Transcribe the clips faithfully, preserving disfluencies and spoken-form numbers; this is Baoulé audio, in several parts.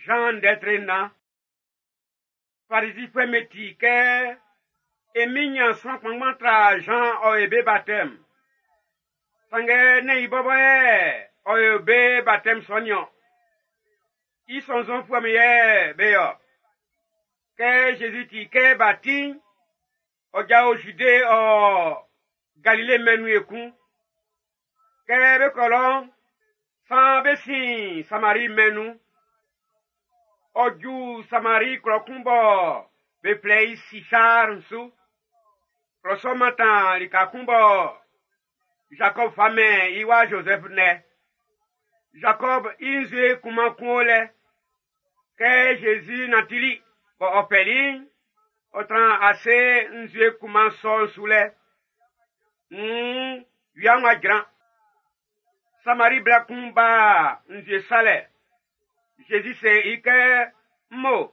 Jean ndɛtre na. Farisifue me ti kɛ emi nyan sran kpanngban tra Jean ɔ ye be baptême. Sanngɛ ne i bɔbɔ yɛ ɔ ye be baptême sɔ niɔn. I sɔnnzɔnfuɛ'm yɛ be yɔ. Kɛ Jésus ti kɛ b'a ti'n, ɔ jao Jude ɔ Galile mɛn'n nun ekun. Kɛ be kɔ lɔ'n, san be sin Samari mɛn'n nun. Ɔ ju Samari klɔ kun bɔ be flɛ i Sichar su. Klɔ sɔ'n mantan lika kun bɔ Jacob fa mɛn i wa Joseph nɛ. Jacob i nzue kunman kun o lɛ. Kɛ Jésus nantili bɔ ɔ fɛli'n, ɔ tran ase nzue kunman sɔ'n su lɛ. Mm, wia'n wa jran. Samari bla kun ba nzue salɛ. Jésus se i kɛ, "Mmo,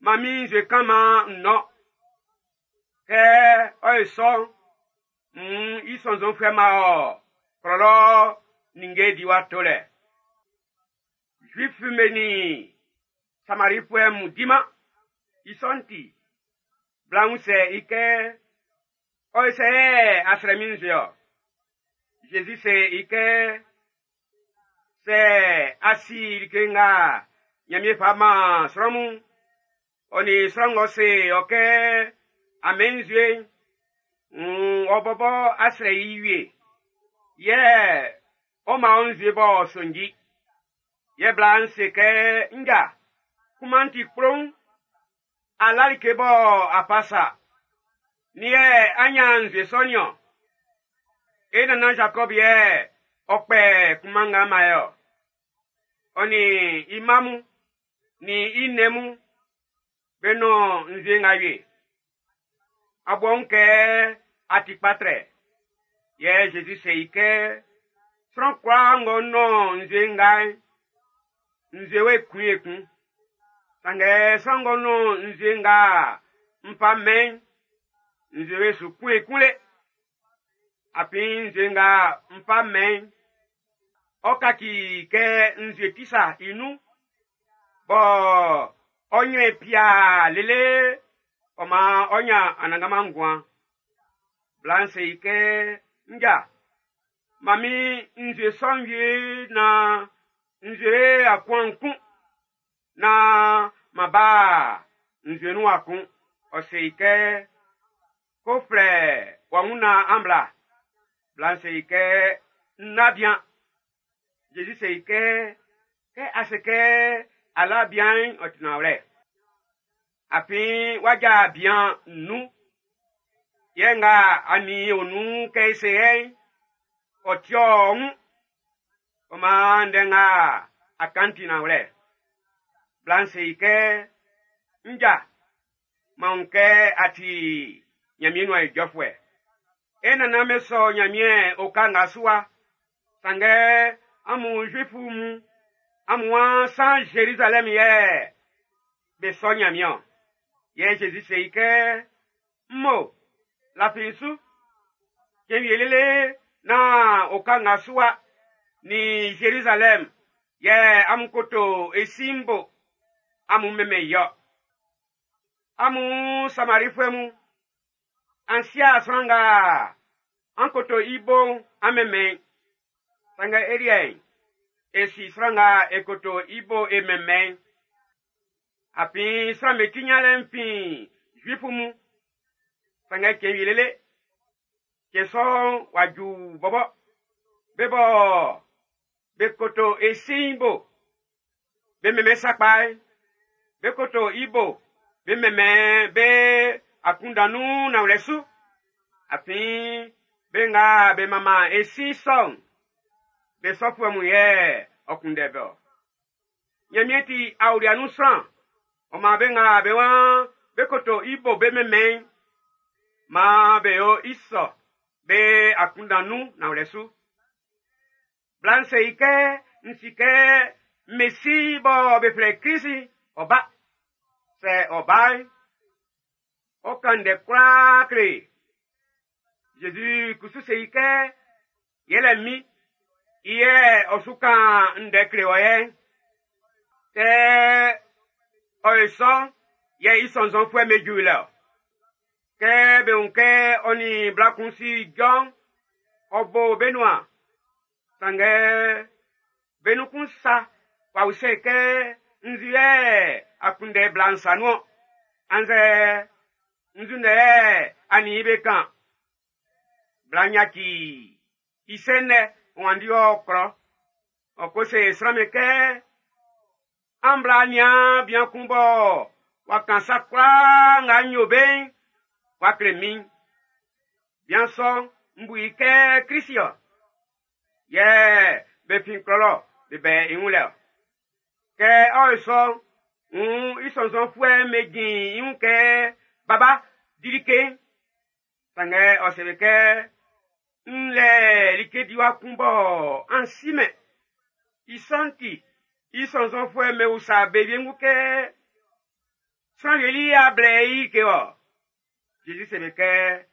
man min nzue kan man n nɔn." Kɛ ɔ ye sɔ'n, mm, i sɔnnzɔnfuɛ ma ɔ klɔlɔ ninnge diwa tolɛ. Juif me ni Samarifuɛ mun diman. I sɔ'n ti, bla'n usɛ i kɛ, "Ɔ ye sɛ yɛ a srɛ min nzue ɔ?" Jésus se i kɛ, "Sɛ a si like nga Ɲanmiɛn fa man sran mun, ɔ nin sran ng'ɔ se ɔ kɛ a mɛn nzue'n, mm, ɔ bɔbɔ a srɛ i wie. Yɛ ɔ man ɔ nzue b'ɔ sonji." Yɛ bla'n se kɛ, "Nja, kunman'n ti kploun, a la like bɔ a fa sa. Nin yɛ a nyan nzue sɔ niɔn?" E nannan Jacob yɛ ɔ kpɛ kunman nga man ye ɔ. Ɔ nin i mma mun, nin i nnɛn mun, be nɔn nzue nga wie. A bɔ ń kɛ a ti kpa trɛ. Yɛ Jésus se i kɛ, "Sran kwlaa ng'ɔ nɔn nzue nga'n, nzue we kun ekun. Sanngɛ sran ng'ɔ nɔn nzue nga n fa mɛn'n, nzue we su kun ekun le. Afin nzue nga n fa mɛn'n, ɔ kaci kɛ nzue tisa i nun, bɔ ɔ nyrɛn pia lele ɔ man ɔ nyan anannganman nguan." Bla'n se i kɛ, "Nja, man min nzue sɔ'n wie na nzue akua'n kun, na ma ba nzue nun akun." Ɔ se i kɛ, "Ko flɛ wɔ wun na an bla." Bla'n se i kɛ, "N na bian." Jésus se i kɛ, "Kɛ a se kɛ a la bian'n, ɔ ti nanwlɛ. Afin w'a ja bian nnun. Yɛ nga a nin o nun kɛ e se yɛ'n, ɔ ti ɔ wun. Ɔ maan ndɛ nga a kan ti nanwlɛ." Bla'n se i kɛ, "Nja, man wun kɛ a ti Ɲanmiɛn nuan ijɔfuɛ. E nannan be sɔ Ɲanmiɛn oka nga su wa. Sanngɛ amun Zuifu mun, amun waan san Jérusalem yɛ be sɔ Ɲanmiɛn ɔ." Yɛ Jésus se i kɛ, "Mmo, lafi n su. Cɛn wie lele na oka nga su wa ni Jérusalem yɛ amun koto e si'n bo, amun mɛnmɛn i ɔ. Amun Samarifuɛ mun, an sia sran nga an koto i bo'n an mɛnmɛn. Sanngɛ e liɛ'n, e si sran nga e koto i bo e mɛnmɛn. Afin sran'm be ti ɲanlɛ'n fin Zuifu mun. Sanngɛ cɛn wie lele, cɛn sɔ'n w'a ju bɔbɔ. Be bɔ be koto e si'n bo, be mɛnmɛn sakpa, be koto i bo, be mɛnmɛn be akunndan nun nanwlɛ su. Afin be nga be manman e si sɔ'n, be sɔfuɛ mun yɛ ɔ kunndɛ be ɔ. Ɲanmiɛn ti aolia nun sran, ɔ maan be nga be waan be koto i bo be mɛnmɛn, maan be yo i sɔ be akunndan nun nanwlɛ su. Bla'n se i kɛ, "N si kɛ Mesi bɔ be flɛ Krisi, ɔ ba. Sɛ ɔ ba'n, ɔ kan ndɛ kwlaa kle." Jésus kusu se i kɛ, "Yɛlɛ min, i yɛ ɔ su kan ndɛ kle wɔ yɛ." Kɛ ɔ ye sɔ'n, yɛ i sɔnnzɔnfuɛ'm be ju lɛ ɔ. Kɛ be wun kɛ ɔ nin bla kun si ijɔ'n, ɔ bo be nuan. Sanngɛ be nun kun sa w'a usɛ i kɛ nzu yɛ a kunndɛ bla'n sa nun-ɔn, annzɛ nzu ndɛ yɛ a nin i be kan. Bla'n yaci i sɛ'n lɛ wanndi ɔ klɔ. Ɔ ko se sran'm be kɛ an bla nian bian kun bɔ w'a kan sa kwlaa nga n yo be'n w'a kle min. Bian sɔ'n, n bu i kɛ Krist ɔ. Yɛ be fin klɔ be bɛ i wun lɛ ɔ. Kɛ ɔ yo sɔ'n, wuun i sɔnnzɔnfuɛ'm be jin i wun kɛ baba di like'n. Sanngɛ ɔ se be kɛ n lɛ like diwa kun bɔ an si-mɛn. I sɔ'n ti, i sɔnnzɔnfuɛ'm be usa be wiengu kɛ sran wie li a blɛ i like ɔ. Jésus se be kɛ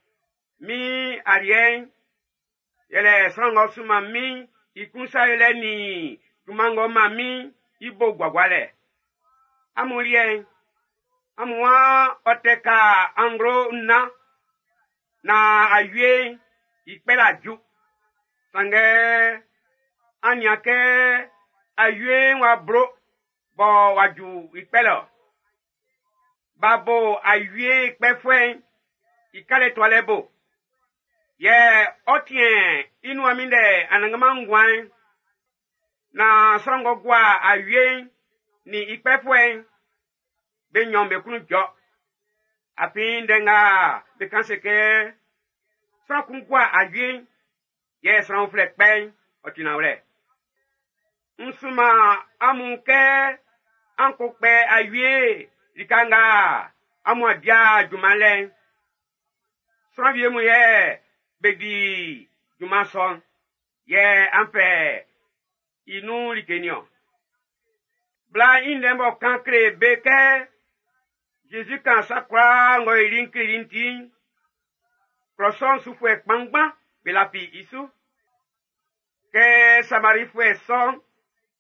min aliɛ'n yɛlɛ sran ng'ɔ sunman min i kun sa yolɛ nin junman ng'ɔ man min i bo guagualɛ. Amun liɛ'n, amun waan ɔ tɛ ka anglo nnan na awie'n i kpɛla ju. Sanngɛ an nian kɛ awie'n w'a blo bɔ w'a ju i kpɛlɛ ɔ. B'a bo awie kpɛfuɛ'n i kalɛ tualɛ bo. Yɛ ɔ tiɛn i nuan minndɛ anannganman nguan'n. Na sran ng'ɔ gua awie'n nin i kpɛfuɛ'n, be nnyɔn be klun jɔ. Afin ndɛ nga be kan se kɛ sran kun gua awie'n, yɛ sran uflɛ kpɛ'n, ɔ ti nanwlɛ. N sunman amun kɛ an ko kpɛ awie lika nga amun a dia junman lɛ'n. Sran wie mun yɛ be di junman sɔ'n, yɛ an fɛ i nun like niɔn. Bla'n i ndɛ b'ɔ kan kle be kɛ Jésus kan sa kwlaa ng'ɔ yoli'n kleli i'n ti'n, klɔ sɔ'n sufuɛ kpanngban be lafi i su. Kɛ Samarifuɛ sɔ'n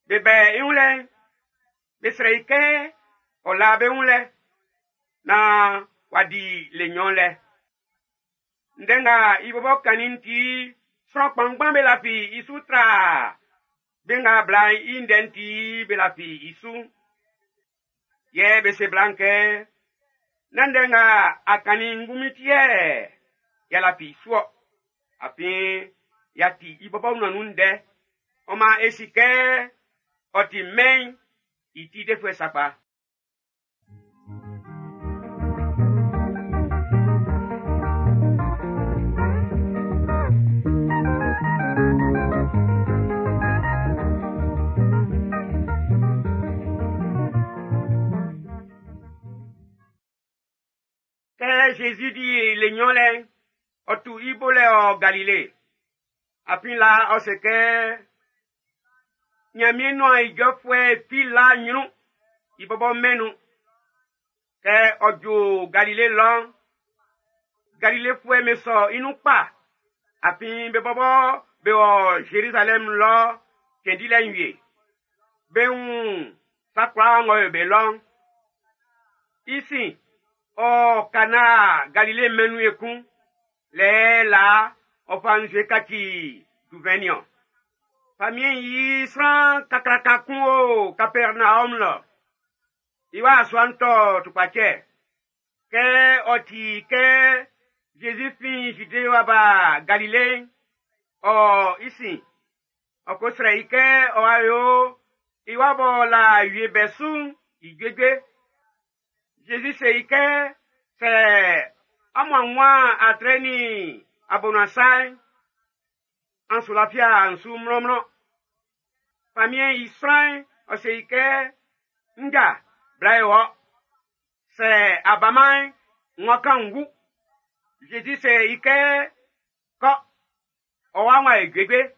be bɛ i wun lɛ'n, be srɛ i kɛ ɔ la be wun lɛ naan w'a di le nnyɔn lɛ. Ndɛ nga i bɔbɔ kannin'n ti, sran kpanngban be lafi i su tra be nga bla'n i ndɛ'n ti be lafi i su. Yɛ be se bla'n kɛ, nán ndɛ nga a kannin'n ngunmin ti yɛ y'a lafi i su-ɔ. Afin y'a ti i bɔbɔ nuan nun ndɛ. Ɔ maan e si kɛ ɔ ti mɛn'n i ti defuɛ sakpa. Kɛ Jésus di le nnyɔn lɛ'n, ɔ tu i bo lɛ ɔ Galile. Afin la ɔ se kɛ Nyanmiɛn nuan ijɔfuɛ fi la nyrun i bɔbɔ mɛn nun. Kɛ ɔ ju Galile lɔ'n, Galilefuɛ'm be sɔ i nun kpa. Afin be bɔbɔ be wɔ Jérusalem lɔ cɛn dilɛ'n wie. Be wun sa kwlaa ng'ɔ yo be lɔ'n. I sin, ɔ kana Galile mɛn'n nun ekun. Lɛ la ɔ fa nzue kaci duvɛn niɔn. Famiɛn'n yi sran kakraka kun o Kapɛrnaɔm lɔ. I wa sua'n tɔ tukpacɛ. Kɛ ɔ ti kɛ Jésus fin Jude wa ba Galile, ɔ i sin, ɔ ko srɛ i kɛ ɔ wa yo i wa bɔ la wie bɛ su'n i juejue. Jésus se i kɛ sɛ amun anwan atrɛ nin abonuasa'n, an su lafia n su mlɔnmlɔn. Famiɛn'n i sran'n ɔ se i kɛ nja bla e wɔ. Sɛ a baman'n, n wa kan n wu. Jésus se i kɛ kɔ, ɔ wa wa e juejue.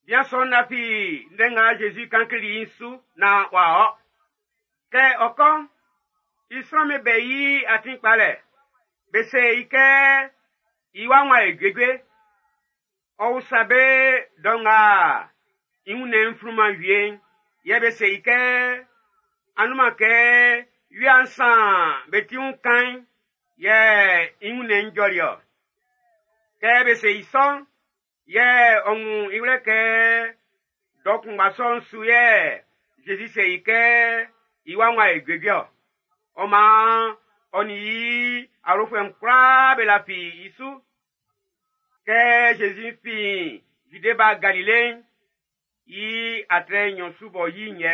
Bian sɔ'n lafi ndɛ nga Jésus kan kleli i'n su naan w'a ɔ. Kɛ ɔ kɔ'n, i sran'm be bɛ i atin kpalɛ. Be se i kɛ i wa wa e juejue. Ɔ usa be dɔ nga i wunnɛn'n flunman wie'n. Yɛ be se i kɛ, anunman kɛ wia'n sa'n be ti wun kan'n, yɛ i wunnɛn'n jɔli-ɔ. Kɛ be se i sɔ'n, yɛ ɔ wun i wlɛ kɛ dɔ kunngba sɔ'n su yɛ Zezi se i kɛ i wa w'a e juejue-ɔ. Ɔ maan ɔ nin i awlofuɛ'n kwlaa be lafi i su. Kɛ Zezi fin Zide ba Galile'n, i atrɛ nɲɔn su b'ɔ yi'n yɛ.